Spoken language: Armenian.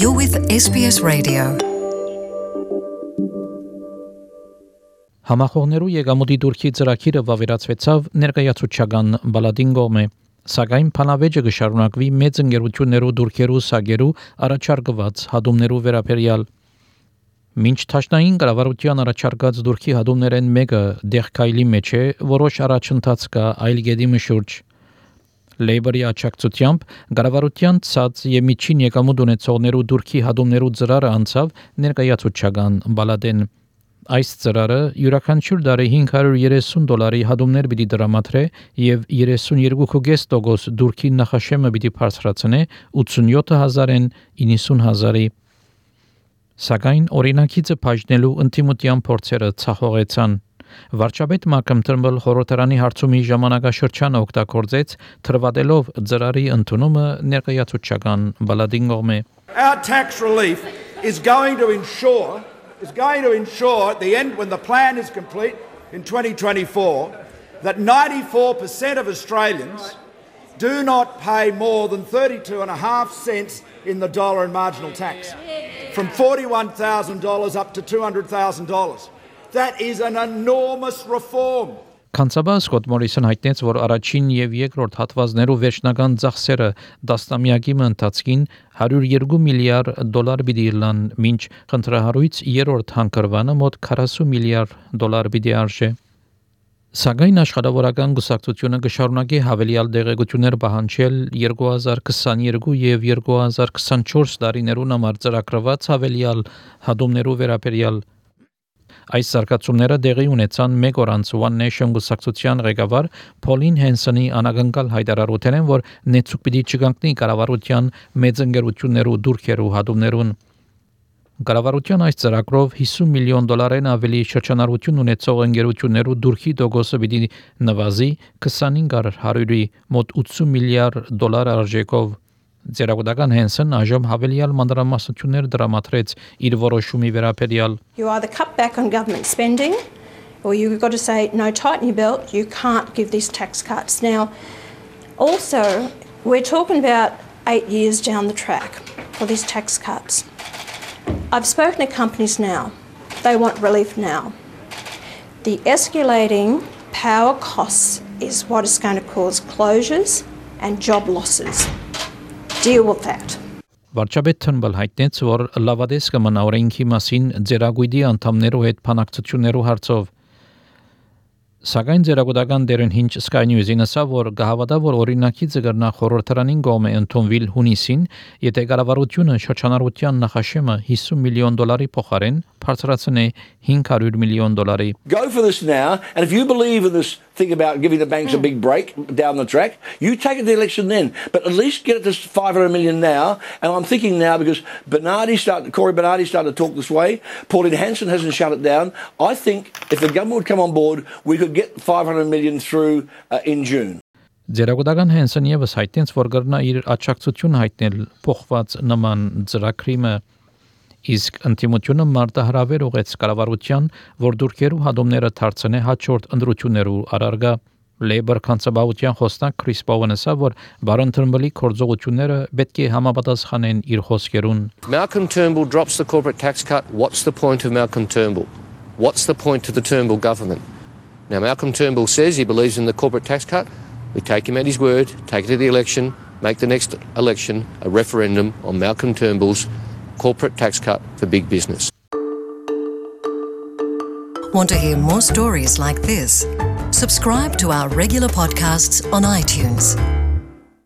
You're with SBS Radio. Համախոհներու եկամուտի դուրքի ծրագիրը վավերացվեցավ ներկայացուցչական բալադին կողմէ, սակայն փանավեճը կշարունակվի մեծ ընկերություններու դուրքերու սագերու առաջարկված հադումներու վերաբերյալ։ Մինչ թաշնային կառավարության առաջարկած դուրքի հադումներեն մեկը դեղքայլի մեջ է, որոշ առաջընթաց կա այլ գեդի մշուրջ։ Լեյբորի աջակցությամբ կառավարության ցած եւ միջին եկամուտ ունեցողներու դուրքի հադումներու ծրարը անցավ ներկայացուցչական բալադեն։ Այս ծրարը յուրաքանչյուր տարի $530 հադումներ պիտի դրամատրե եւ 32.5% դուրքի նախաշեմը պիտի բարձրացնե 87,000-ին 90,000-ի։ Սակայն օրինակիցը բաժնելու ընդդիմության փորձերը ցախողեցան։ Վարչապետ Մալքոմ Թըրնբլ խորհրդարանի հարցումի ժամանակաշրջանը օգտագործեց թրվատելով ծրարի ընդունումը ներկայացուցչական բալադին կողմէ։ Our tax relief is going to ensure at the end, when the plan is complete in 2024, that 94% of Australians do not pay more than 32.5 cents in the dollar in marginal tax, from $41,000 up to $200,000. That is an enormous reform. Կանցաբան Սկոտ Մորիսոն հայտնեց, որ առաջին եւ երկրորդ հատվածներու վերջնական ծախսերը դաստամյակի ընթացքին $102 միլիարդ պիտի լան, մինչ խնդրահարույց երրորդ հանգրվանը մոտ $40 միլիարդ պիտի արժե։ Սակայն աշխատավորական գուսակցությունը կշարունակի հավելյալ դեղեցություններ պահանջել 2022 եւ 2024 տարիներուն համար ծրագրված հավելյալ հադումներու վերաբերյալ։ Այս զարգացումները դեղի ունեցան մեկ օր անց One Nation գուսակցության ղեկավար Փոլին Հենսոնի անագնկալ հայտարարութեն, որ նեցուկ պիտի չկանգնի կառավարության մեծ ընկերություններու դուրքերու հադումներուն։ Կառավարության այս ծրագրով $50 միլիոն ավելի շրջանառություն ունեցող ընկերություններու դուրքի տոկոսը պիտի նվազի 25%-ի մոտ $80 միլիարդ արժեքով։ Ձերագուտական Հենսոն այժմ հավելյալ մանրամասնություններ դրամատրեց իր որոշումի վերաբերյալ։ You either cut back on government spending or you've got to say no, tighten your belt, you can't give these tax cuts. Now also we're talking about 8 years down the track for these tax cuts. I've spoken to companies now. They want relief now. The escalating power costs is what is going to cause closures and job losses. Deal with that. Վարչապետ Թըրնբլ հայտնեց, որ լավադես կմնա օրենքի մասին ձերագույդի անդամներու հետ փանակցություններու հարցով։ Սակայն ձերագուտական դերեն հինչ Sky News-ին ասավ, որ գահավատա, որ օրինակիցը կրնա խորհրդարանին կողմէ ընդունվել հունիսին, եթե կառավարությունը շրջանառության նախաշեմը $50 միլիոն փոխարեն բարձրացնե $500 միլիոն։ Go for this now, and if you believe in this thing about giving the banks a big break down the track, you take it to the election then. But at least get it to $500 million now. And I'm thinking now, because Corey Bernardi started to talk this way, Pauline Hanson hasn't shut it down. I think if the government would come on board, we could get $500 million through in June. Ձերագուտական Հենսոն եւս հայտնեց, որ կրնա իր աջակցություն հայտնել փոխված նման ծրագրիմը, իսկ ընդդիմությունը մարտահրավեր ուղեց կառավարության, որ դուրքերու հադումները դարձնե հաջորդ ընտրություններու առարգա։ Labour կանցաբավության խոսնակ Քրիս Բովն ասավ, որ բարոն Թըրնբլի գործողությունները պետք է համապատասխանեն իր խոսքերուն։ Malcolm Turnbull drops the corporate tax cut. What's the point of Malcolm Turnbull? What's the point to the Turnbull government? Now Malcolm Turnbull says he believes in the corporate tax cut. We take him at his word, take it to the election, make the next election a referendum on Malcolm Turnbull's corporate tax cut for big business. Want to hear more stories like this? Subscribe to our regular podcasts on iTunes.